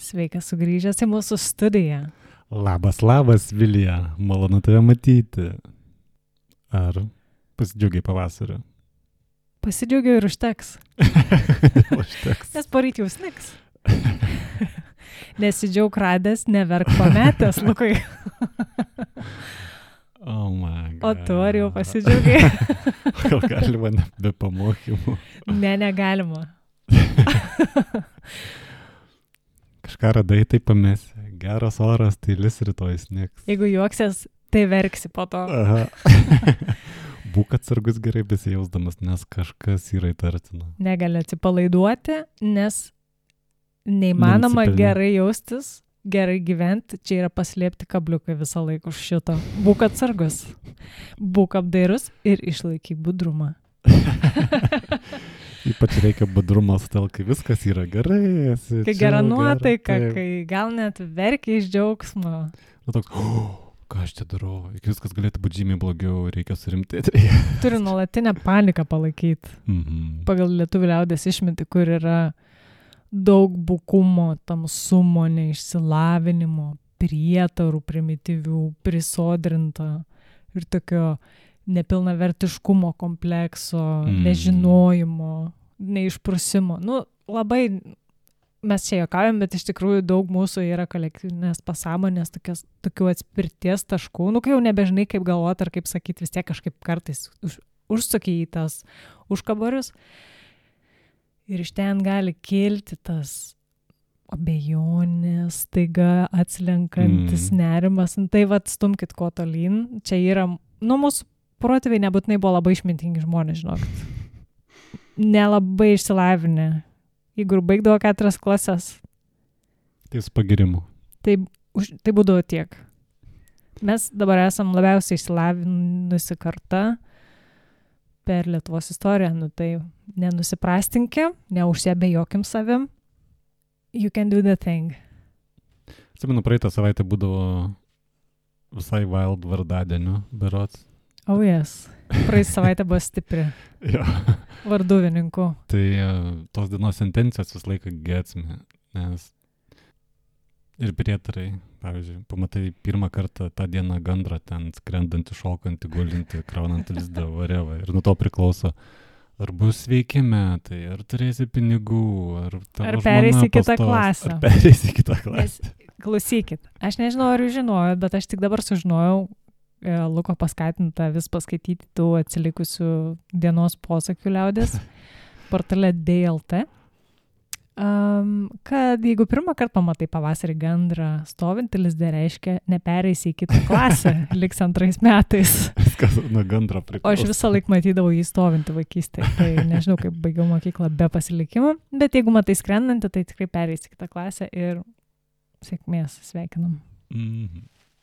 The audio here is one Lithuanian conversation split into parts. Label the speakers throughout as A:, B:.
A: Sveikas sugrįžęs į mūsų studiją.
B: Labas, Vilija, malonu tave matyti. Ar pasidžiaugiai pavasariu?
A: Pasidžiaugiau ir užteks.
B: Užteks.
A: Nes poryt jau snigs. Nesidžiaug radęs, neverk pametęs, Lukai.
B: Oh my God.
A: O tu ar jau pasidžiaugiai?
B: Gal galima be pamokymų?
A: Ne, negalima.
B: Kažką radai, tai pamesi. Geras oras, tai lis rytoj snigs.
A: Jeigu juoksies, tai verksi po to.
B: Aha. Būk atsargus gerai besijausdamas, nes kažkas yra įtartina.
A: Negali atsipalaiduoti, nes neįmanoma gerai jaustis, gerai gyventi. Čia yra paslėpti kabliukai visą laiką už šito. Būk atsargus, būk apdairus ir išlaikyk budrumą.
B: Ypač reikia budrumo sutel, kai viskas yra gerai.
A: Kai gera nuotaika, kai gal net verkia iš džiaugsmo.
B: Nu toks, ką aš čia darau, iki viskas galėtų būti žymiai blogiau, reikia surimtėti.
A: Turi nuolatinę paniką palaikyti. Pagal lietuvių liaudės išmintį, kur yra daug bukumo, tamsumo, neišsilavinimo, prietarų primityvių, prisodrinta ir tokio nepilnavertiškumo komplekso, nežinojimo, neišprusimo. Nu, labai mes čia juokaujam, bet iš tikrųjų daug mūsų yra kolektyvinės pasąmonės, tokių atspirties taškų. Nu, kai jau nebežinai, kaip galvoti ar kaip sakyti, vis tiek kažkaip kartais užsuki į tas užkabarius. Ir iš ten gali kilti tas abejonės, staiga atslenkantis nerimas. Tai vat stumkit kuo tolyn. Čia yra, mūsų protėviai nebūtinai buvo labai išmintingi žmonės, žinokit. Nelabai išsilavinę. Jeigu baigdavo 4 klases.
B: Tai su pagirimu.
A: Tai būdavo tiek. Mes dabar esam labiausiai išsilavinusi karta per Lietuvos istoriją. Nu tai nenusiprastinkė, neužsiabejokim savim. You can do the thing.
B: Atsimenu, praeitą savaitę būdavo visai wild vardadienio berods.
A: Oh yes. Praeitą savaitę buvo stipri.
B: Jo.
A: Varduvininkų.
B: Tai tos dienos sentencijos vis laiką gėtsime, nes ir prietarai, pavyzdžiui, pamatai pirmą kartą tą dieną gandrą ten skrendantį, šokantį, gulintį, kraunantį lizdą, varevą. Ir nuo to priklauso, ar bus sveiki metai, ar turėsi pinigų, ar tavo
A: pereisi
B: žmona
A: kitą klasę.
B: Ar pereisi kitą klasę.
A: Klausykit, aš nežinau, ar jūs žinojot, bet aš tik dabar sužinojau, Luko paskatinta vis paskaityti tų atsilikusių dienos posakių liaudės portale DLT, kad jeigu pirmą kartą pamatai pavasarį gandrą stovintį lizdę, reiškia nepereisi į kitą klasę, liks 2 metais.
B: Viskas nuo gandro priklauso.
A: O aš visą laiką matydavau jį stovintį vaikystėje, tai nežinau, kaip baigiau mokyklą be pasilikimo, bet jeigu matai skrendantį, tai tikrai pereisi į kitą klasę ir sėkmės, sveikinam.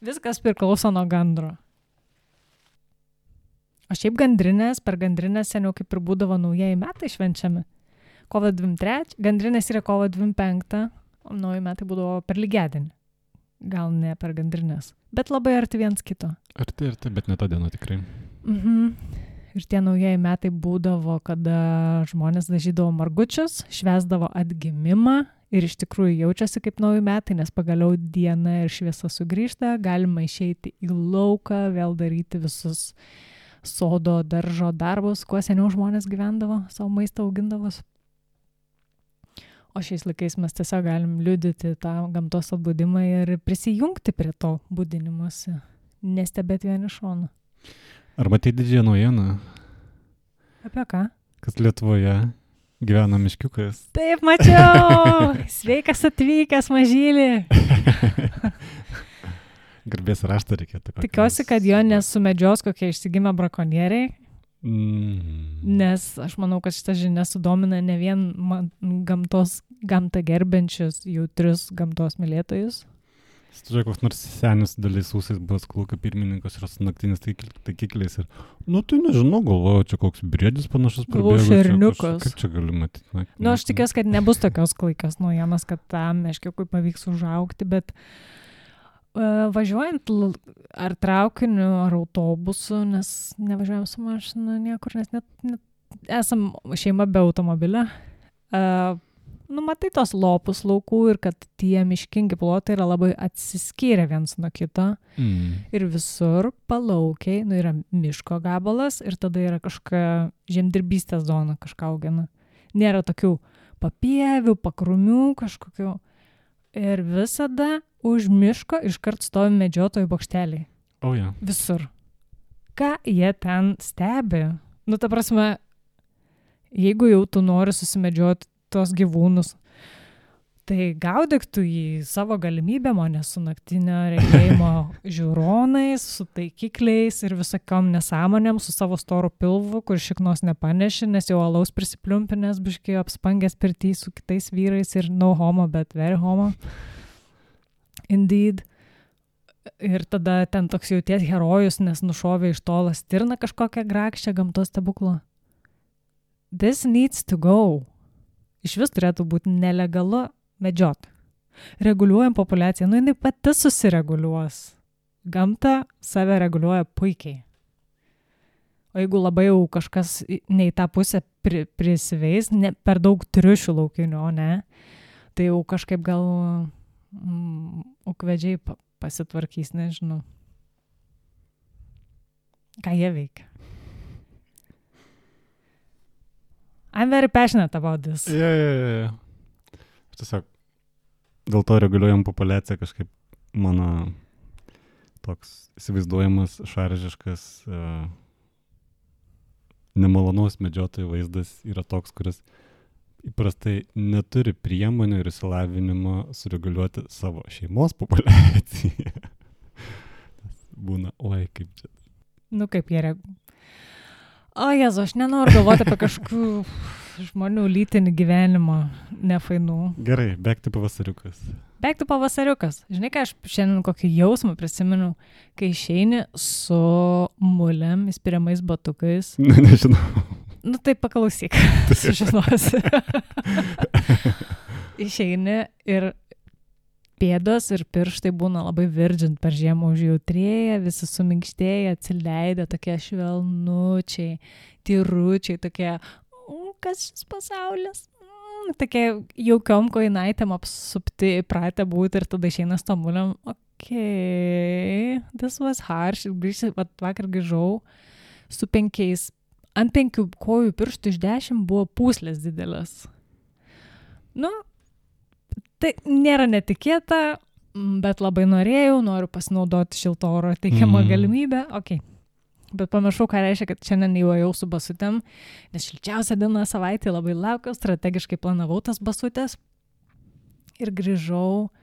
A: Viskas priklauso nuo gandro. O šiaip per gandrinės seniau kaip ir būdavo naujieji metai švenčiami. Kovo 23, gandrinės yra kovo 25, o nauji metai būdavo per lygiadienį. Gal ne per gandrinės, bet labai arti viens kito.
B: Arti, bet ne tą dieną tikrai.
A: Ir tie naujieji metai būdavo, kada žmonės dažydavo margučius, švęsdavo atgimimą ir iš tikrųjų jaučiasi kaip nauji metai, nes pagaliau diena ir šviesa sugrįžta, galima išeiti į lauką, vėl daryti visus sodo, daržo darbus, kuo seniau žmonės gyvendavo, savo maistą augindavos. O šiais laikais mes tiesiog galim liudyti tą gamtos atbudimą ir prisijungti prie to budinimuose, nestebėti vien iš šono.
B: Ar matei didžiąją naujieną?
A: Apie ką?
B: Kad Lietuvoje gyvena miškiukas.
A: Taip, mačiau! Sveikas atvykęs, mažylį!
B: Garbės raštą reikėtų.
A: Tikiuosi, kad jo nesumedžios kokie išsigimę brakonieriai, nes aš manau, kad šitą žinią sudomina ne vien gamtą gerbiančius, jautrius gamtos mylėtojus.
B: Žiūrėk, koks nors senis dalis ūsais buvęs kolūkio pirmininkas yra su naktinis taikikliais ir, tai nežinau, galvoju, čia koks briedis panašus prabėgo.
A: Šerniukas.
B: Kaip čia galiu matyti?
A: Aš tikiuosi, kad nebus tokios klaikios naujienos, kad tam meškiukui pavyks užaugti, bet važiuojant ar traukiniu, ar autobusu, nes nevažiuojam su mašina niekur, nes net esam šeima be automobilio. matai tos lopus laukų ir kad tie miškingi plotai yra labai atsiskyrę viens nuo kito. Ir visur palaukiai, yra miško gabalas ir tada yra kažkokia žemdirbystės zona, kažką augina. Nėra tokių papievių, pakrumių kažkokių. Ir visada už miško iškart stovi medžiotojų bokšteliai. Visur. Ką jie ten stebi? Ta prasme, jeigu jau tu nori susimedžioti tos gyvūnus, tai gaudyk tu jį savo galimybėm, o ne su naktinio regėjimo žiūronais, su taikikliais ir visokiom nesąmonėm, su savo storu pilvu, kur šiknos nepaneši, nes jau alaus prisipliumpinės, biškai apspangęs pirtį su kitais vyrais ir no homo, bet very homo. Indeed. Ir tada ten toks jauties herojus, nes nušovė iš tolo stirną kažkokią grakščią gamtos stebuklą. This needs to go. Iš vis turėtų būti nelegalu medžioti. Reguliuojam populiaciją. Jinai pati susireguliuos. Gamta save reguliuoja puikiai. O jeigu labai jau kažkas ne į tą pusę prisiveis, ne, per daug triušių laukinių, ne, tai jau kažkaip gal ukvedžiai pasitvarkys, nežinau. Ką jie veikia? I'm very passionate about this.
B: Yeah. Tiesiog dėl to reguliuojam populiaciją kažkaip mano toks įsivaizduojamas šaržiškas nemalonus medžiotojų vaizdas yra toks, kuris įprastai neturi priemonių ir išsilavinimo sureguliuoti savo šeimos populiaciją. Būna, kaip čia.
A: Kaip jie O Jezu, aš nenoriu galvoti apie kažkokių žmonių lytinį gyvenimą nefainų.
B: Gerai, back to pavasariukas.
A: Žinai, ką aš šiandien kokį jausmą prisimenu, kai išeini su mulėm, įspiriamais batukais.
B: Nežinau.
A: Tai paklausyk, sužinosi. Išeini ir pėdos ir pirštai būna labai virdžint per žiemą užjautrėję, visi suminkštėję, atsileidę, tokie švelnučiai, tyručiai, tokie, kas šis pasaulis? Tokie jaukiom kojinaitėm apsupti, įpratę būti ir tada išeina stomuliam, this was harsh, vakar grįžau su 5, ant 5 kojų pirštų iš 10 buvo pūslės didelės. Tai nėra netikėta, bet labai noriu pasinaudoti šilto oro teikiamą galimybę. Bet pamiršau, ką reiškia, kad šiandien jau ėjau su basutėm, nes šilčiausia diena savaitė labai laukiau, strategiškai planavau tas basutės ir grįžau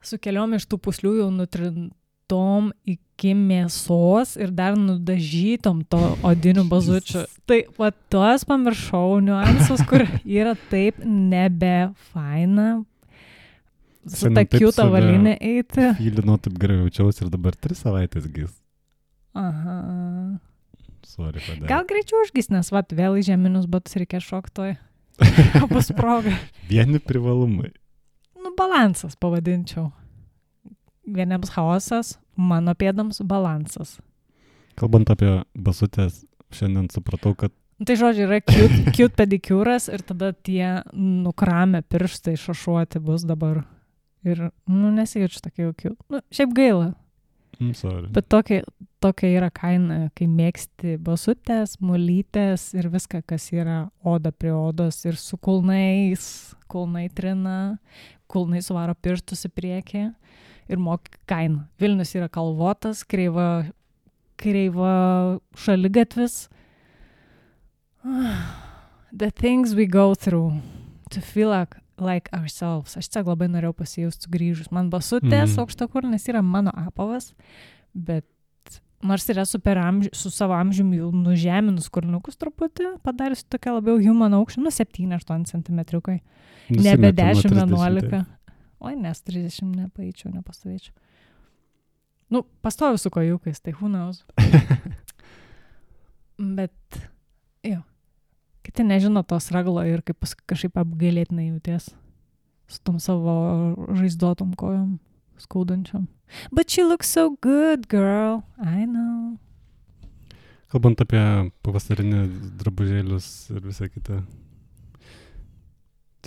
A: su keliom iš tų puslių jau nutrintom iki mėsos ir dar nudažytom to odinių bazučių. Tai tuos pamiršau niuansus, kur yra taip nebefaina su ta kiuta valinė eiti.
B: Fylinau taip gerai jaučiausi ir dabar 3 savaitės gis.
A: Aha.
B: Sorry, padėjau.
A: Gal greičiau užgis, nes vėl į žeminius batus reikia šoktoj. Bus proga.
B: Vieni privalumai.
A: Balansas pavadinčiau. Vieniems chaosas, mano pėdams balansas.
B: Kalbant apie basutės, šiandien supratau, kad...
A: Tai žodžiu, yra cute pedikiūras ir tada tie nukramę pirštai šašuoti bus dabar. Ir, nesijaučiu tokia jau cute. Šiaip gaila.
B: Sorry.
A: Bet tokia yra kaina, kai mėgsti basutės, mulytės ir viską, kas yra oda prie odos ir su kulnai trina, kulnai suvaro pirštus į priekį. Ir moki kainą. Vilnius yra kalvotas, kreiva šaligatvis. The things we go through to feel like ourselves. Aš tiesiog labai norėjau pasijausti sugrįžus. Man basutės aukštakulnės yra mano apavas, bet nors yra su savo amžiumi jau nužeminus kulniukus truputį, padarius tokia labiau human aukštį, 7-8 centimetriukai. Nebe 10-11. Nes 30 nepaeičiau, nepastovėčiau. Pastoviu su kojukais, tai who knows. Bet, kiti nežino tos raglo ir kaip kažkaip apgailėtinai jauties su tom savo žaizdotom kojom, skaudančiom. But she looks so good, girl. I know.
B: Kalbant apie pavasarinį drabužėlius ir visą kitą.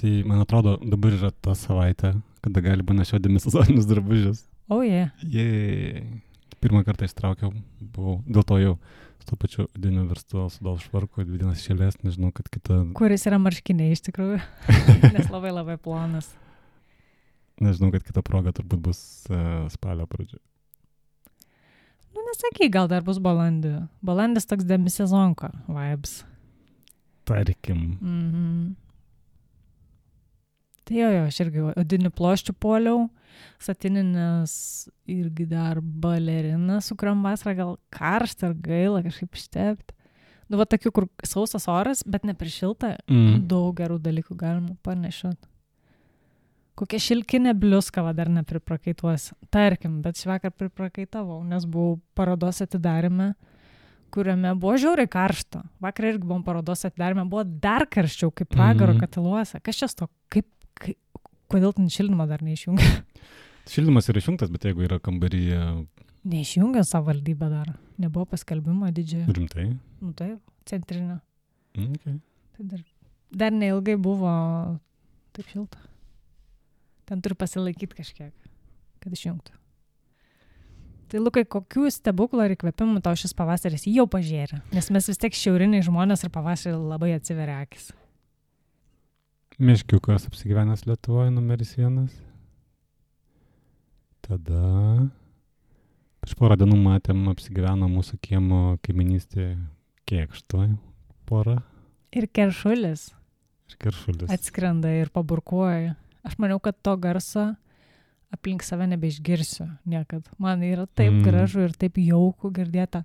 B: Tai, man atrodo, dabar yra ta savaitė, kada gali nešioti demisezoninius drabužius.
A: O, jie.
B: Pirmą kartą ištraukiau, buvau, dėl to jau su to pačiu odiniu verstu sudal švarku, 2 dienas šėlės, nežinau, kad kita...
A: Kuris yra marškiniai iš tikrųjų, nes labai labai plonas.
B: Nežinau, kad kita proga turbūt bus spalio pradžia.
A: Nu, nesakyk, gal dar bus balandį. Balandis toks demisezonko vibes.
B: Tarkim.
A: Tai jo, aš irgi odinių ploščių poliau, satininės irgi dar balerina, su kuriam vasarą gal karštą ar gaila kažkaip ištepti. Nu, va tokių, kur sausas oras, bet ne per šiltą, daug gerų dalykų galima panešioti. Kokia šilkinė bliuska va dar nepriprakaituosi. Tarkim, bet švakar priprakaitavau, nes buvau parodos atidarime, kuriame buvo žiauriai karšto. Vakar irgi buvom parodos atidarime, buvo dar karščiau, kaip pragaro katiluose. Kas čia to? Kodėl ten šildymą dar neišjungia?
B: Šildymas yra išjungtas, bet jeigu yra kambaryje...
A: Neišjungia savivaldybė dar. Nebuvo paskelbimo didžiojo.
B: Rimtai?
A: Nu taip, centrinio.
B: Okay.
A: Tai dar neilgai buvo taip šilta. Ten turi pasilaikyti kažkiek, kad išjungtų. Tai Lukai, kokių stebuklų ir įkvėpimų tau šis pavasaris jau pažėrė? Nes mes vis tiek šiauriniai žmonės ir pavasarį labai atsiveria akis.
B: Meškiukas apsigyvenęs Lietuvoje, numeris 1. Tada prieš porą dienų matėm apsigyveno mūsų kiemo kaiminystėje Kėkštoj porą.
A: Ir Keršulis.
B: Keršulis.
A: Atskrenda ir paburkuoja. Aš maniau, kad to garso aplink save nebeišgirsiu niekad. Man yra taip gražu ir taip jauku girdėta.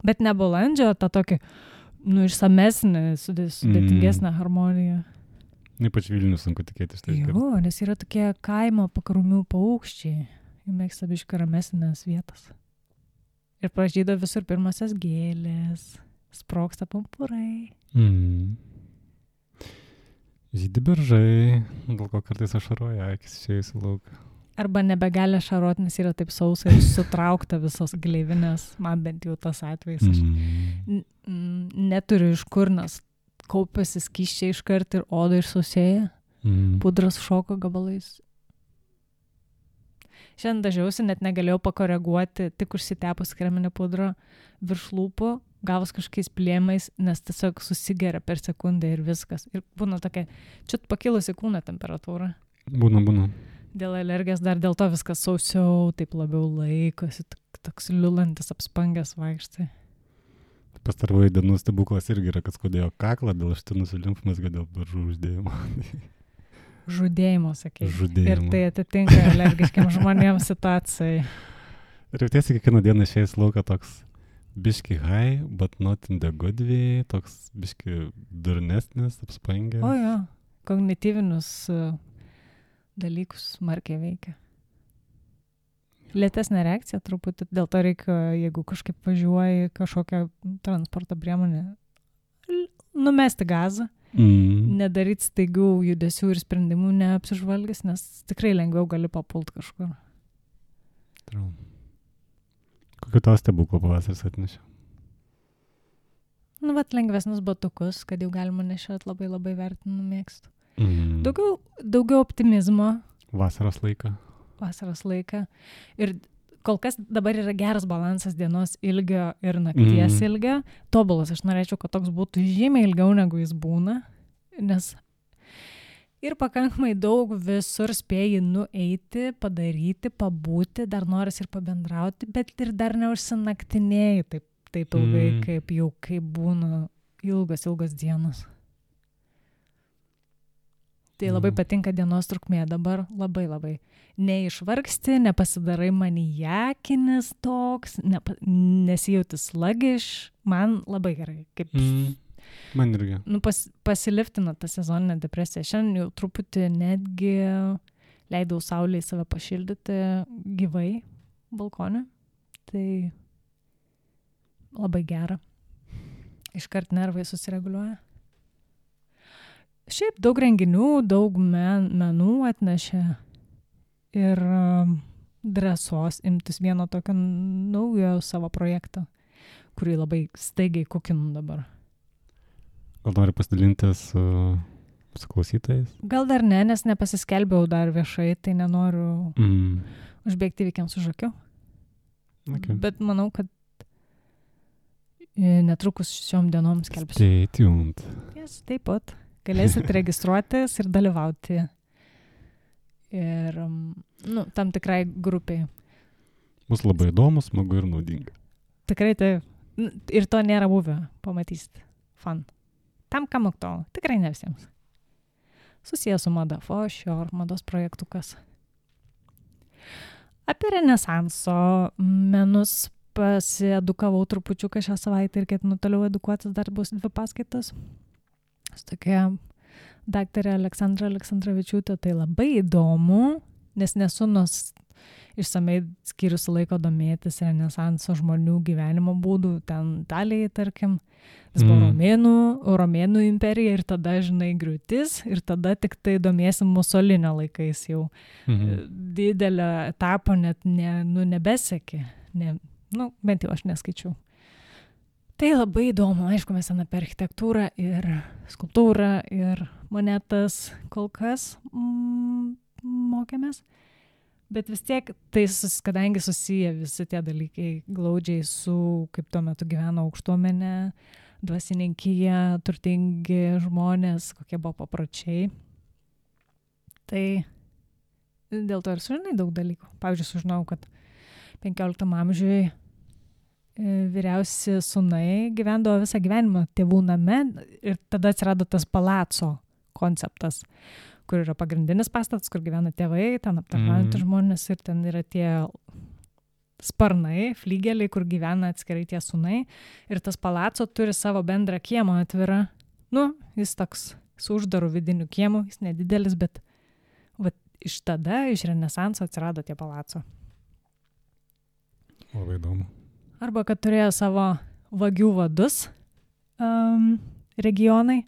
A: Bet ne balandžio, ta tokia, išsamesnė, sudėtingesnė harmonija.
B: Ypač Vilnius sunku tikėtis.
A: Jo, nes yra tokie kaimo pakarumių paukščiai. Jų mėgsta biškį ramesnės vietas. Ir pražydo visur pirmasias gėlės. Sprogsta pumpurai.
B: Žydi beržai, dėl ko kartais ašaroja akis išėjus į lauką.
A: Arba nebegali ašarot, nes yra taip sausa ir sutraukta visos gleivinės. Man bent jau tas atvejs. Aš neturiu iš kur, nes kaupiasi skysčiai iškart ir oda išsausėja. Pudras šoko gabalais. Šiandien dažiausi, net negalėjau pakoreguoti, tik užsitepus kreminę pudrą virš lūpų, gavus kažkokiais plėmais, nes tiesiog susigeria per sekundę ir viskas. Ir būna tokia, čiut pakilusi kūno temperatūra.
B: Būna.
A: Dėl alergijos dar dėl to viskas sausiau, taip labiau laikosi, toks liulantis apspangęs vaikštai.
B: Pastarųjų dienų stebuklas irgi yra, kad skaudėjo kaklą dėl ištinusių limfmazgių dėl beržų uždėjimo.
A: Žudėjimo, sakei.
B: Žudėjimo.
A: Ir tai atitinka alergiškiam žmonėms situacijai.
B: Ir tiesiog kiekvieną dieną išėjęs lauką toks biški high, but not in the good way, toks biški durnesnis, apspangęs.
A: O jo, kognityvinius dalykus smarkiai veikia. Lėtesnė reakcija truputį, dėl to reikia, jeigu kažkaip važiuoji kažkokią transporto priemonę, numesti gazą, nedaryti staigių judesių ir sprendimų neapsižvalgęs, nes tikrai lengviau gali papult kažkur.
B: Kokiu tau stebuklų pavasaris atnešė?
A: Nu, vat lengvesnius batukus, kad jau galima nešiot, labai labai vertinu, mėgstu. Daugiau optimizmo.
B: Vasaros laiką. Ir kol kas dabar yra geras balansas dienos ilgio ir nakties ilgio. Tobulas, aš norėčiau, kad toks būtų žymiai ilgiau negu jis būna, nes ir pakankamai daug visur spėjai nueiti, padaryti, pabūti, dar noris ir pabendrauti, bet ir dar neužsinaktinėjai taip ilgai, kaip būna ilgos dienos. Tai labai patinka dienos trukmė dabar, labai. Neišvargsti, nepasidarai maniakinis toks, nesijauti slagiš, man labai gerai. Man irgi.
A: Pasiliftina tą sezoninę depresiją. Šiandien jau truputį netgi leidau saulėje save pašildyti gyvai balkone. Tai labai gera. Iškart nervai susireguliuoja. Šiaip daug renginių, daug menų atnešė ir drąsos imtis vieno tokio naujo savo projekto, kurį labai staigiai kukinu dabar.
B: Gal nori pasidalinti su klausytojais?
A: Gal dar ne, nes nepasiskelbiau dar viešai, tai nenoriu užbėgti įvykiams už akių.
B: Okay.
A: Bet manau, kad netrukus šiom dienom skelbsiu.
B: Stay tuned.
A: Yes, taip pat. Galėsit registruotis ir dalyvauti. Ir, tam tikrai grupiai.
B: Bus labai įdomu, smagu ir naudinga.
A: Tikrai taip. Ir to nėra buvę, pamatysit. Fun. Tam, kam aktualu. Tikrai ne visiems. Susijęs su mada, for sure, mados projektukas. Apie renesanso menus pasiedukavau trupučiuką šią savaitę ir ketinu toliau edukuotis, dar bus 2 paskaitas. Su tokia daktarė Aleksandra Aleksandravičiūtė, tai labai įdomu, nes nesu išsamei skyrusi laiko domėtis renesanso žmonių gyvenimo būdų, ten Italijai, tarkim, jis buvo Romėnų imperija ir tada, žinai, griūtis ir tada tik tai domėsim Musolinio laikais jau. Didelio etapo net nebesekė, bent jau aš neskaičiau. Tai labai įdomu, aišku, mes ten apie architektūrą ir skulptūrą ir monetas kol kas mokėmės. Bet vis tiek, tai kadangi susiję visi tie dalykai glaudžiai su, kaip tuo metu gyveno aukštuomenė, dvasininkija, turtingi žmonės, kokie buvo papročiai. Tai dėl to ir sužinai daug dalykų. Pavyzdžiui, sužinau, kad 15 amžiuje vyriausi sūnai gyvendavo visą gyvenimą tėvų name ir tada atsirado tas palaco konceptas, kur yra pagrindinis pastatas, kur gyvena tėvai, ten aptarnaujantys žmonės ir ten yra tie sparnai, flygeliai, kur gyvena atskirai tie sūnai ir tas palaco turi savo bendrą kiemą atvirą. Jis toks su uždaru vidiniu kiemu, jis nedidelis, bet iš renesanso atsirado tie palaco.
B: Labai įdomu.
A: Arba kad turėjo savo vagių vadus regionai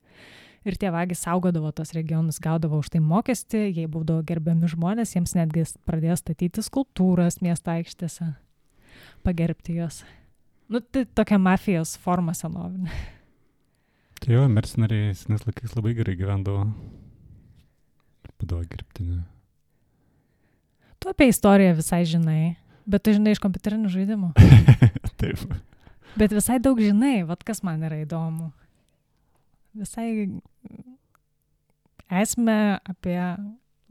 A: ir tie vagys saugodavo tos regionus, gaudavo už tai mokestį, jie būdavo gerbiami žmonės, jiems netgi pradėjo statyti skulptūras miesto aikštėse, pagerbti jos. Tai tokia mafijos forma senovinė.
B: Tai jo, mercenariai senais laikais labai gerai gyvendavo. Būdavo gerbtini.
A: Tu apie istoriją visai žinai, bet tu žinai iš kompiuterinių žaidimų.
B: Taip.
A: Bet visai daug žinai, kas man yra įdomu. Visai esmę apie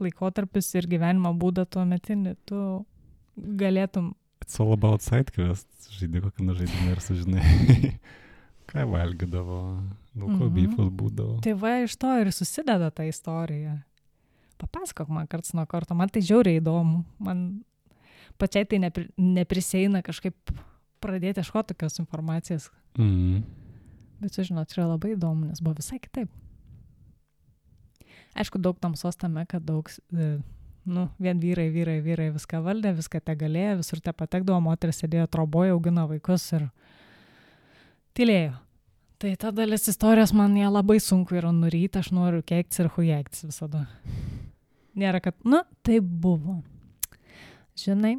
A: laikotarpius ir gyvenimo būdą tuo metinį, tu galėtum...
B: It's all about sidequest. Žaidė kokią žaidimą ir sužinai, ką valgydavo, daug ko beefas būdavo.
A: Tai iš to ir susideda ta istorija. Papasakok man karts nuo karto, man tai žiauriai įdomu. Man pačiai tai nepriseina kažkaip pradėti ieškoti tokios informacijos. Bet sužinot, yra labai įdomu, nes buvo visai kitaip. Aišku, daug tamsos tame, kad daug, vien vyrai viską valdė, viską te galėjo, visur te patekdavo, moteris sėdėjo troboje, augino vaikus ir tylėjo. Tai ta dalis istorijos man ją labai sunku yra nuryti, aš noriu keiktis ir hujeiktis visada. Nėra, kad, tai buvo. Žinai,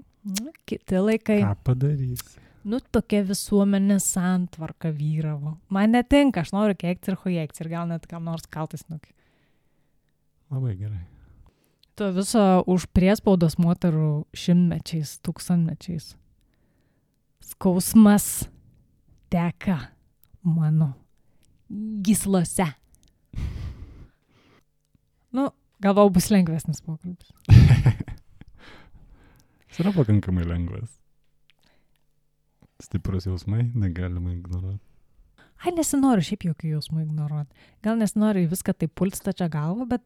A: kiti laikai.
B: Ką padarysi?
A: Tokia visuomenė santvarka vyravo. Man netinka, aš noriu keikti ir hujeikti ir gal net kam nors kaltais nuki.
B: Labai gerai.
A: To viso už priespaudos moterų 100-mečiais, 1000-mečiais. Skausmas teka mano gyslose. Galvau, bus lengvesnis pokalbis.
B: Jis yra pakankamai lengvas. Stiprus jausmai, negalima ignoruoti.
A: Nesinoriu šiaip jokių jausmų ignoruoti. Gal nesinoriu viską taip pult stačia galva, bet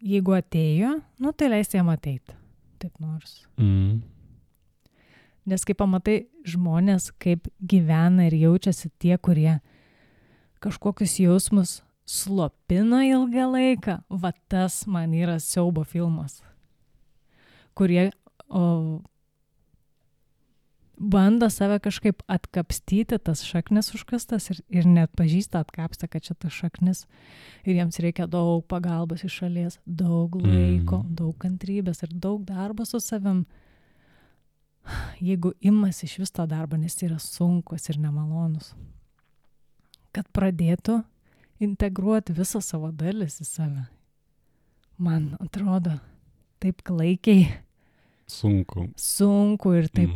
A: jeigu atėjo, tai leis jam ateiti. Taip nors. Nes kai pamatai žmonės, kaip gyvena ir jaučiasi tie, kurie kažkokius jausmus slopina ilgą laiką, tas man yra siaubo filmas, kurie bando save kažkaip atkapstyti, tas šaknis užkastas ir net pažįsta atkapstą, kad čia tas šaknis ir jiems reikia daug pagalbos iš šalies, daug laiko, daug kantrybės ir daug darbo su savim. Jeigu imasi iš vis to darbo, nes yra sunkus ir nemalonus. kad pradėtų integruoti visą savo dalis į save. Man atrodo, taip klaikiai. Sunku ir taip,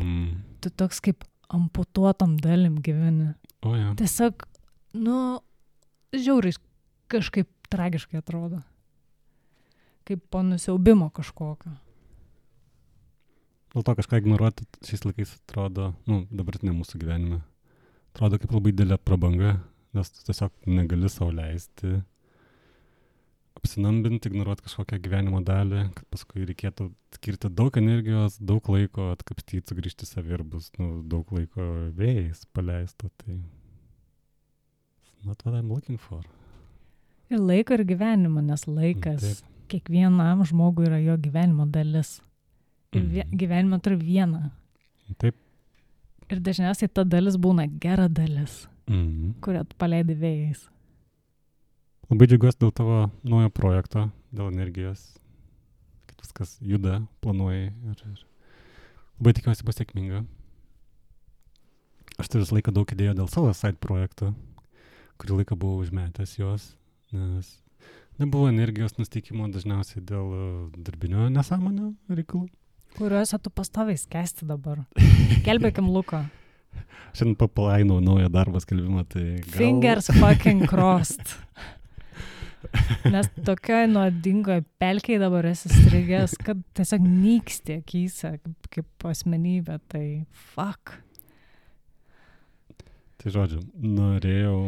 A: tu toks kaip amputuotam dalim gyveni.
B: O ja.
A: Tiesiog, žiauriai kažkaip tragiškai atrodo. Kaip po nusiaubimo kažkokio.
B: Dėl to kažką ignoruoti šiais laikais atrodo, dabartinė mūsų gyvenime, atrodo kaip labai didelė prabanga, nes tu tiesiog negali sau leisti apsinambinti, ignoruoti kažkokią gyvenimo dalį, kad paskui reikėtų skirti daug energijos, daug laiko atkapstyti, sugrįžti savį ir bus daug laiko vėjais paleista. Tai not what I'm looking for.
A: Ir laiko ir gyvenimo, nes laikas kiekvienam žmogui yra jo gyvenimo dalis. Ir gyvenime turi vieną.
B: Taip.
A: Ir dažniausiai ta dalis būna gera dalis, kurią tu paleidi vėjais.
B: Labai džiaugiuosi dėl tavo naujo projekto, dėl energijos, kad viskas juda, planuoji ir labai tikiuosi bus sėkminga. Aš turiu visą laiką daug idėjų dėl savo side projektų, kurį laiką buvau užmetęs juos, nes nebuvo energijos nusteikimo dažniausiai dėl darbinio nesąmonio reikalų.
A: Kuriuose tu pastoviai skęsti dabar. Gelbėkim Luko.
B: Šiandien papalainau naują darbą skelbimą, tai gal...
A: Fingers fucking crossed. Nes tokioj nuodingoje pelkėje dabar esi strigęs, kad tiesiog nyksti akyse kaip asmenybė, tai fuck.
B: Tai žodžiu, norėjau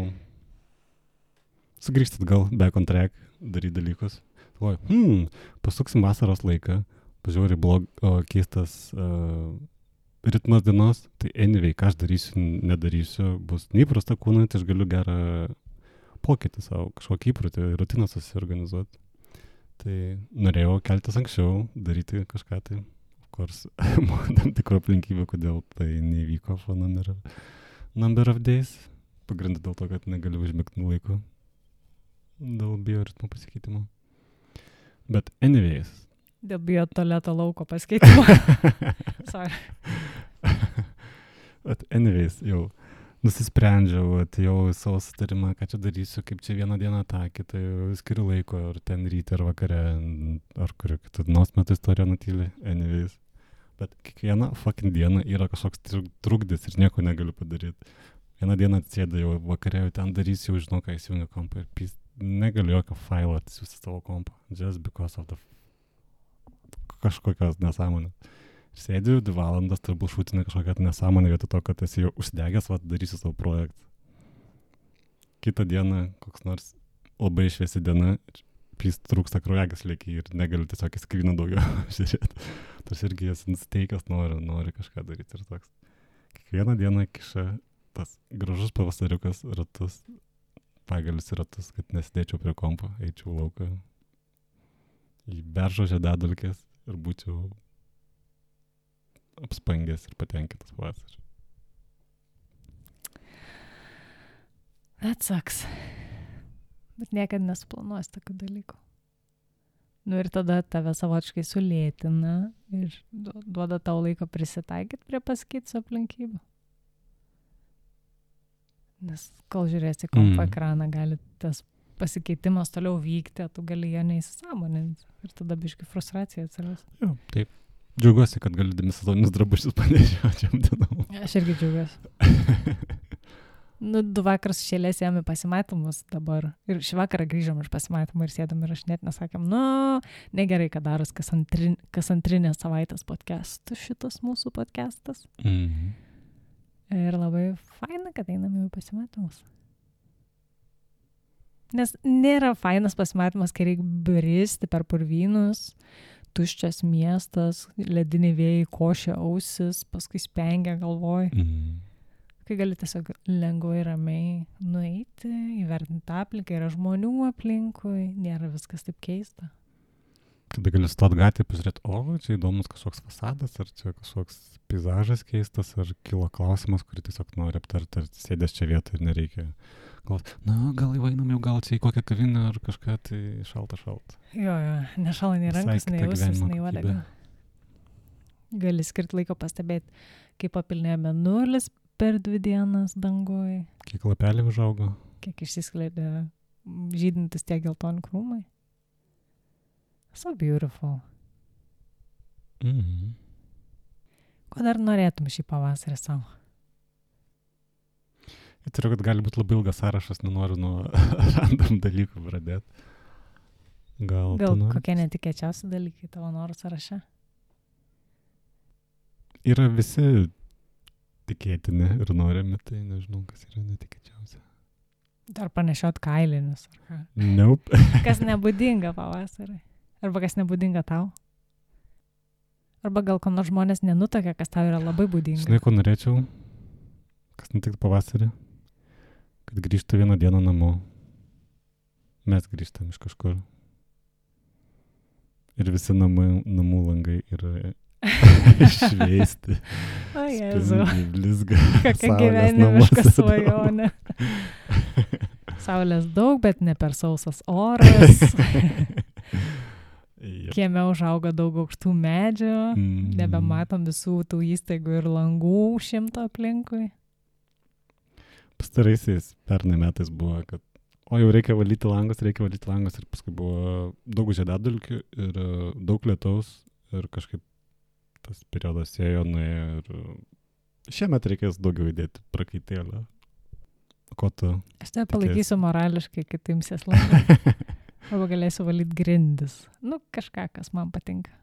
B: sugrįžti atgal, back on track, daryti dalykus. Pasuksim vasaros laiką, pažiūrėjau keistas ritmas dienos, tai anyway, ką aš darysiu, nedarysiu, bus neįprasta kūnai, tai aš galiu gerą pokytį savo, kažkokį įprotį, rutiną susiorganizuoti. Tai norėjau keltis anksčiau, daryti kažką tai, of course, tam tikrų aplinkybių, kodėl tai nevyko for number of days. Pagrindai dėl to, kad negaliu užmigti laiku dėl bioritmo pasikeitimo. Bet anyways.
A: Dėl biotualeto lauko pasikeitimo. Sorry.
B: Bet anyways, jau nusisprendžiau, atėjau į savo sutarimą, ką čia darysiu, kaip čia vieną dieną tą, kitą skiriu laiko, ar ten ryte, ar vakare, ar kurią kitą dienos metu istoriją nutyli, anyways. Bet kiekvieną fucking dieną yra kažkoks trukdis ir nieko negaliu padaryti. Vieną dieną atsėdau jau vakare, jau ten darysiu, jau žinau, ką įsijungia kompą ir negaliu jokio failo atsiųsti savo kompą, just because of the kažkokios nesąmonės. Sėdžiu 2 valandas, turbūt šūtinė kažkokia nesąmonė vietoj to, kad esi jau uždegęs, darysiu savo projektą. Kitą dieną, koks nors labai šviesi diena, trūksta kraujagyslė ir negaliu tiesiog į skryną daugiau žiūrėti. Tas irgi esi nusteikęs, nori kažką daryti ir toks. Kiekvieną dieną kiša tas gražus pavasariukas ratus, pagalius ratus, kad nesidėčiau prie kompo, eičiau lauką į beržo žiedadulkes ir būčiau apspangęs ir patenkintas vasarą.
A: That sucks. Bet niekada nesuplanuosi tokių dalykų. Ir tada tave savotiškai sulėtina ir duoda tau laiko prisitaikyti prie pasikeitusių aplinkybių. Nes kol žiūrėsi kompo ekraną, gali tas pasikeitimas toliau vykti, tu gali jo neįsisąmoninti. Ir tada biškai frustracija atsiras.
B: Jo, taip. Džiaugiuosi, kad galiu demisezoninius drabužius panešioti šiam dienom.
A: Aš irgi džiaugiuosi. 2 vakarus šėlės ėjom į pasimatymus dabar. Ir šį vakarą grįžom iš pasimatymų ir sėdom ir aš net nesakėm, negerai, kad daros kas antrinės savaitės podcastų šitas mūsų podcastas. Ir labai faina, kad einam į pasimatymus. Nes nėra fainas pasimatymas, kai reikia bristi per purvynus, tuščias miestas, lediniai vėjai košia ausis, paskui spengia galvoj. Kai gali tiesiog lengvai ramiai nueiti, įvertinti aplinką, yra žmonių aplinkui, nėra viskas taip keista.
B: Kada gali stot gatvėje, pažiūrėti, čia įdomus kažkoks fasadas, ar čia kažkoks peizažas keistas, ar kilo klausimas, kurį tiesiog nori aptarti, ar sėdės čia vietoj ir nereikia. Gal įvainam jau gal čia į kokią kavinę ar kažką, tai šalta.
A: Jo, nešala nei rankas, nei ausis, nei uodega. Gali skirti laiko pastebėti, kaip papilnėjo mėnulis per 2 dienas dangoj.
B: Kiek lapelių užaugo.
A: kiek išsiskleidė žydintis tie geltoni krūmai. So beautiful.
B: Mhm.
A: Ko dar norėtum šį pavasarį savo?
B: Įtariu, kad gali būti labai ilgas sąrašas, nenoriu nuo random dalykų pradėti. Gal
A: kokie netikėčiausi dalykai tavo norų sąraše?
B: Yra visi tikėtini ir norimi, tai nežinau, kas yra netikėčiausia.
A: Dar panešiot kailinius, ar ką?
B: Nope.
A: Kas nebūdinga pavasarį? Arba kas nebūdinga tau? Arba gal ko nors žmonės nenutokia, kas tau yra labai būdinga?
B: Žinai, ko norėčiau? Kas nutiktų pavasarį? Kad grįžtų vieną dieną namo. Mes grįžtam iš kažkur. Ir visi namų langai yra išveisti.
A: O Jėzu.
B: Blizga.
A: Kokia gyvenimiška svajonė. Saulės daug, bet ne per sausas oras. Kieme užauga daug aukštų medžių. Nebematom visų tų įstaigų ir langų 100 aplinkui.
B: Pastaraisiais pernai metais buvo, kad jau reikia valyti langus ir paskui buvo daug žiedadulkių ir daug lietaus ir kažkaip tas periodas ėjo, nuėjo ir šiemet reikės daugiau įdėti prakaitėlio. Ko tu?
A: Aš te palaikysiu morališkai, kai tu imsies langų. Arba galėsiu valyti grindis. Kažką, kas man patinka.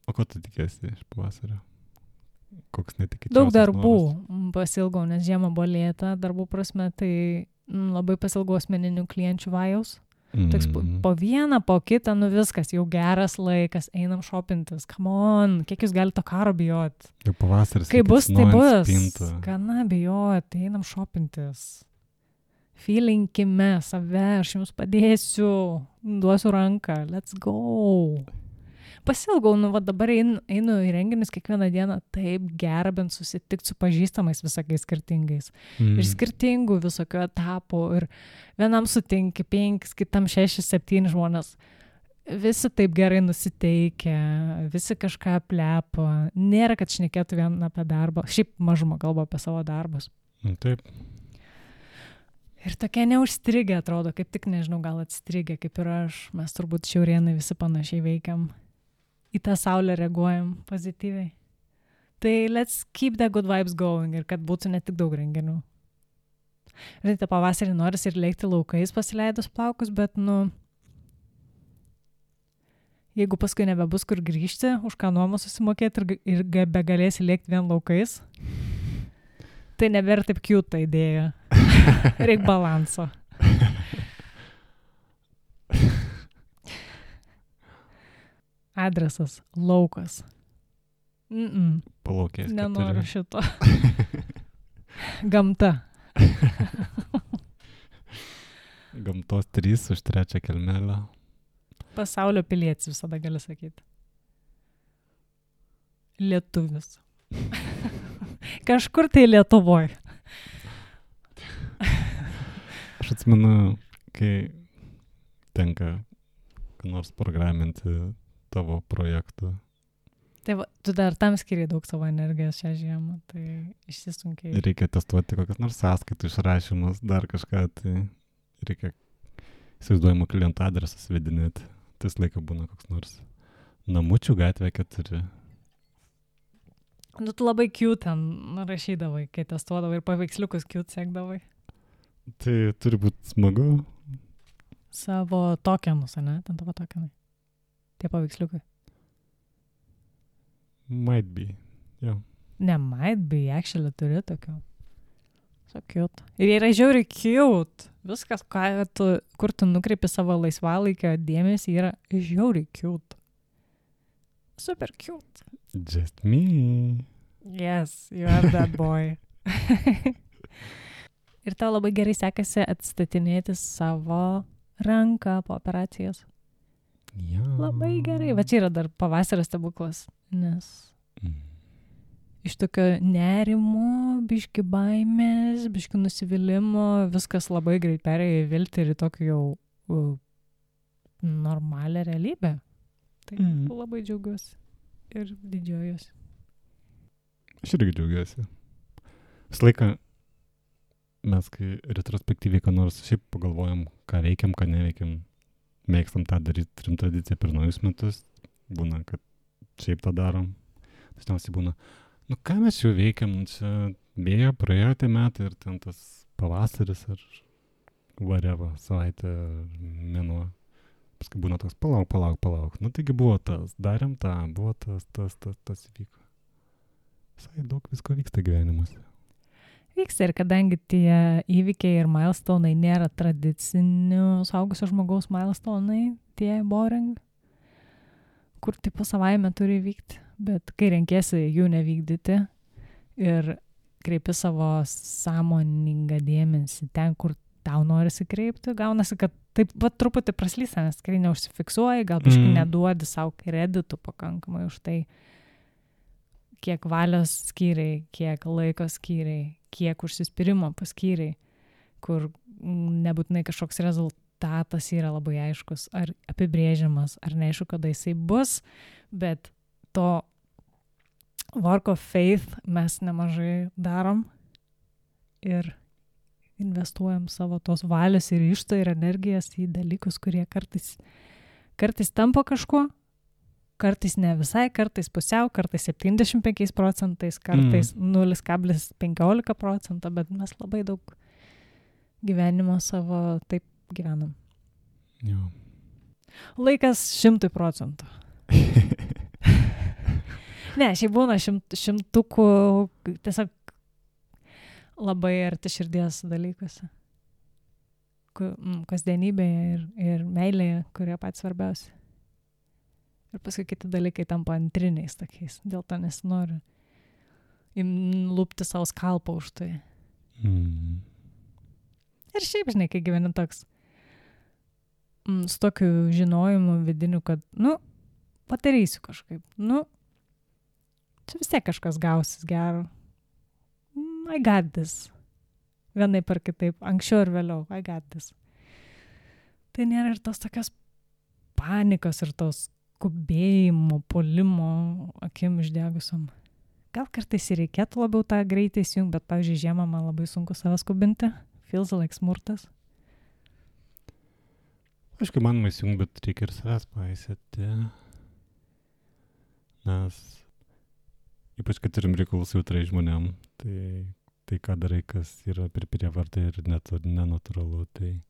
B: O ko tu tikėsi iš pavasario? Koks netikėčiausias
A: Daug darbų
B: noras?
A: pasilgau, nes žiema buvo lėta, darbų prasme, tai labai pasilgau asmeninių klienčių vajaus. Toks po vieną, po kitą, viskas, jau geras laikas, einam šopintis, come on, kiek jūs galite to karo bijoti?
B: Jau pavasaris.
A: Kai bus, tai bus. Gana bijoti, einam šopintis. Feelinkime save, aš jums padėsiu, duosiu ranką, let's go. Pasilgau, dabar einu į renginius kiekvieną dieną, taip gera bent susitikti su pažįstamais visokiais skirtingais. Ir skirtingų visokių etapų, ir vienam sutinki 5, kitam 6, 7 žmonės. Visi taip gerai nusiteikia, visi kažką plepa, nėra, kad šnekėtų vien apie darbą, šiaip mažumą kalba apie savo darbus.
B: Taip.
A: Ir tokie neužstrigę atrodo, kaip tik nežinau, gal atstrigę, kaip ir aš, mes turbūt šiaurienai visi panašiai veikiam. Į tą saulę reaguojam pozityviai. Tai let's keep the good vibes going ir kad būtų ne tik daug renginių. Ir tai pavasarį noris ir lėkti laukais pasileidus plaukus, bet jeigu paskui nebebus kur grįžti, už ką nuomą susimokėti ir begalėsi lėkti vien laukais, tai nebėra taip cute ta idėja. Reik balanso. Adresas laukas.
B: Palaukės.
A: Nenoriu šito. Gamta.
B: Gamtos 3 už 3 kelmelę.
A: Pasaulio pilietis visada gali sakyti. Lietuvis. Kažkur tai Lietuvoj.
B: Aš atsimenu, kai tenka ką nors programinti tavo projektų.
A: Tai tu dar tam skiri daug savo energijos šią žiemą, tai išsisunkiai.
B: Reikia testuoti kokias nors sąskaitų išrašymus, dar kažką, tai reikia įsivaizduojamo kliento adresą svedinėti. Tas laiką būna koks nors Namučių gatvė 4.
A: Tu labai cute ten rašydavai, kai testuodavai ir paveiksliukus cute sekdavai.
B: Tai turi būti smagu.
A: Savo tokenus, ne? Ten tavo tokenai. Tie paveiksliukai.
B: Might be, jo.
A: Ne, might be, actually turi tokių. So cute. Ir yra žiauriai cute. Viskas, kur tu nukreipi savo laisvalaikio dėmesį, yra žiauriai cute. Super cute.
B: Just me.
A: Yes, you are that boy. Ir tau labai gerai sekasi atstatinėti savo ranką po operacijos.
B: Ja.
A: Labai gerai. Va čia yra dar pavasario stebuklas, nes iš tokio nerimo, biški baimės, biški nusivylimų, viskas labai greit perėjo į viltį ir į tokį jau normalią realybę. Tai labai džiaugiuosi ir didžiuojuosi.
B: Aš irgi džiaugiuosi. Visą laiką mes kai retrospektyviai, ką nors šiaip pagalvojam, ką veikiam, ką neveikiam, mėgstam tą daryti, turim tradiciją per naujus metus, būna, kad šiaip tą darom. Dažniausiai būna, nu ką mes jau veikiam, čia bėga, praėjo tie metai ir ten tas pavasaris ar whatever, savaitė, mėnuo. Paskui būna toks, palauk. Nu taigi buvo tas, darėm tą, buvo tas įvyko. Visai daug visko vyksta gyvenimuose.
A: Vyksta ir kadangi tie įvykiai ir milestone'ai nėra tradicinių suaugusio žmogaus milestone'ai, tie boring, kur tipo savaime turi vykti, bet kai renkiesi jų nevykdyti ir kreipi savo sąmoningą dėmesį ten, kur tau norisi kreipti, gaunasi, kad taip pat truputį praslysta, nes tikrai neužsifiksuoji, gal biškai neduodi savo kreditų pakankamai už tai, kiek valios skyriai, kiek laiko skyriai, kiek užsispyrimo paskyriai, kur nebūtinai kažkoks rezultatas yra labai aiškus, ar apibrėžiamas, ar neaišku, kada jisai bus, bet to work of faith mes nemažai darom ir investuojam savo tos valios ir ryžto ir energijas į dalykus, kurie kartais tampa kažkuo, kartais ne visai, kartais pusiau, kartais 75%, kartais 0,15%, bet mes labai daug gyvenimo savo taip gyvenam.
B: Jo.
A: Laikas 100%. Ne, šiaip būna šimtukų tiesiog labai arti širdies dalykuose. Kasdienybėje ir meilėje, kurie patys svarbiausi. Ir paskui kiti dalykai tampa antriniais tokiais. Dėl to nesinori lūpti savo skalpą už tai. Ir šiaip, žinai, kai gyveni toks su tokiu žinojimu vidiniu, kad, padarysiu kažkaip. Čia vis tiek kažkas gausis gero. I got this. Vienaip ar kitaip. Anksčiau ir vėliau. I got this. Tai nėra ir tos tokios panikos ir tos skubėjimo, puolimo akim išdegusiom. Gal kartais ir reikėtų labiau tą greitai įsijungti, bet, pavyzdžiui, žiemą man labai sunku save skubinti. Feels like smurtas.
B: Aišku, man įsijungti, bet reikia ir savęs paisėti. Nes ypač, kad turim reikalus jautrai žmonėm, tai ką darai, kas yra per prievartą ir nenatūralu, tai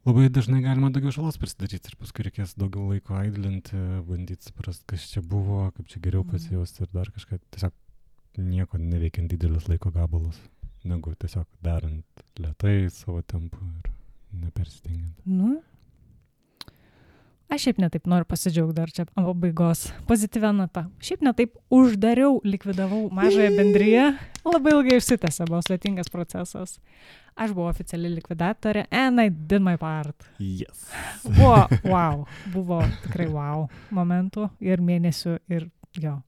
B: labai dažnai galima daugiau žalos prisidaryti ir paskui reikės daugiau laiko aidlinti, bandyti suprasti, kas čia buvo, kaip čia geriau pasijausti ir dar kažką. Tiesiog nieko neveikiant didelis laiko gabalus, negu tiesiog darant lėtai savo tempu ir nepersistengiant.
A: Aš šiaip netaip noriu pasidžiaugti dar čia pabaigos pozityvia nata. Šiaip netaip uždariau, likvidavau mažąją bendriją. Labai ilgai išsitęsė, buvo sudėtingas procesas. Aš buvau oficiali likvidatorė and I did my part.
B: Yes.
A: Buvo tikrai wow momentų ir mėnesių ir jo.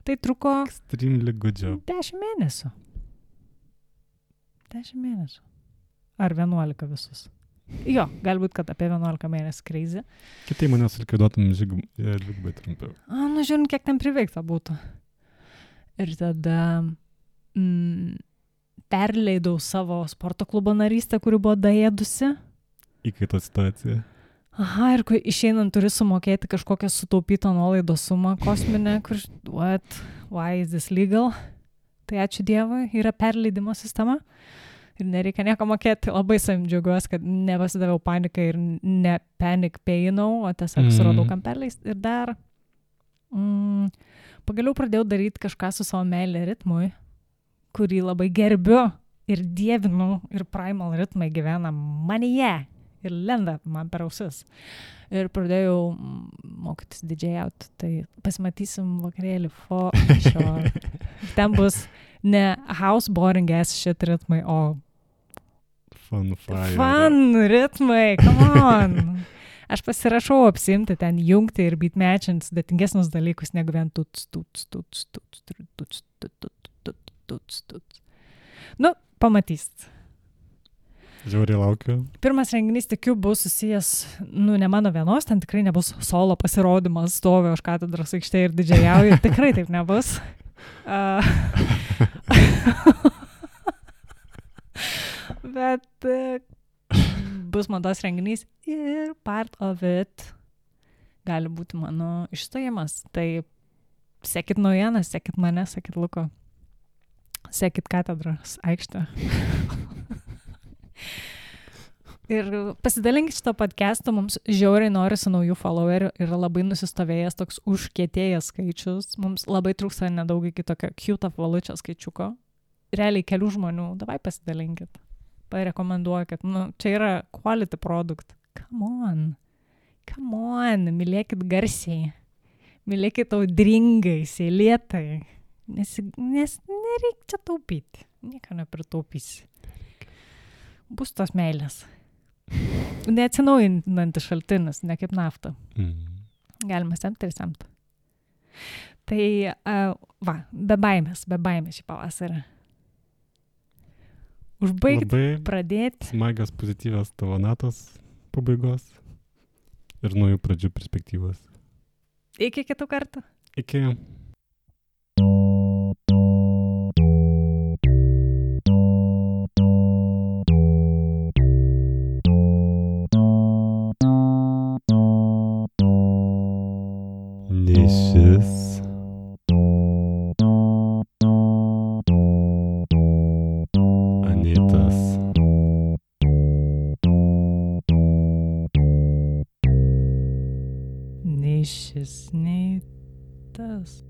A: Tai truko
B: extremely good job.
A: 10 mėnesių. 10 mėnesių. Ar 11 visus. Jo, galbūt, kad apie 11 mėnesį crazy.
B: Kitai manęs likviduotum dvigubai trumpiau.
A: Žiūrint, kiek ten priveikta būtų. Ir tada perleidau savo sporto klubo narystę, kuri buvo daėdusi.
B: Įkaito situacija.
A: Aha, ir kai išeinant turi sumokėti kažkokią sutaupytą nuolaidos sumą kosminę, kur, why is this legal? Tai ačiū Dievui, yra perleidimo sistema. Ir nereikia nieko mokėti, labai savim džiaugiuosi, kad nepasidaviau panikai ir ne panic painau, o tiesiog suradau kam perleisti. Ir dar pagaliau pradėjau daryti kažką su savo meilė ritmui, kurį labai gerbiu ir dievinu, ir primal ritmai gyvena manyje ir lenda man per ausis. Ir pradėjau mokytis didžėjauti, tai pasimatysim vakarėlį for sure. Ten ne house boring ass shit ritmai, o fun ritmai, come on. Aš pasirašau apsimti ten jungti ir beatmatchint sudėtingesnius dalykus negu vien tuts. Pamatysit.
B: Žiauriai laukiu.
A: Pirmas renginys, tikiu, bus susijęs, ne mano vienos, ten tikrai nebus solo pasirodymas, stoviu aš katedros aikštėje ir didžiajauju, tikrai taip nebus. Bet bus mados renginys ir part of it gali būti mano išstojimas. Tai sekit naujienas, sekit mane, sekit Luko, sekit katedros aikštę. Ir pasidalinkit šito podcast'o, mums žiauriai norisi naujų followerių, yra labai nusistovėjęs toks užkietėjęs skaičius, mums labai trūksta nedaug iki tokio cute apvalučio skaičiuko. Realiai kelių žmonių, davai pasidalinkit, parekomenduokit, čia yra quality product. Come on, mylėkit garsiai, mylėkit audringai, seilėtai, nes nereikia čia taupyti, nieko nepritaupysi. Bus tos meilės. Neatsinaujinantis šaltinis, ne kaip nafta. Galima semti ir semti. Tai, be baimės šį pavasarį. Užbaigti, pradėti.
B: Smagios, pozityvios tavo natos pabaigos ir naujų pradžių perspektyvos.
A: Iki kitų kartų.
B: Iki. Nišis. Anitas.
A: Nišis, nei tas.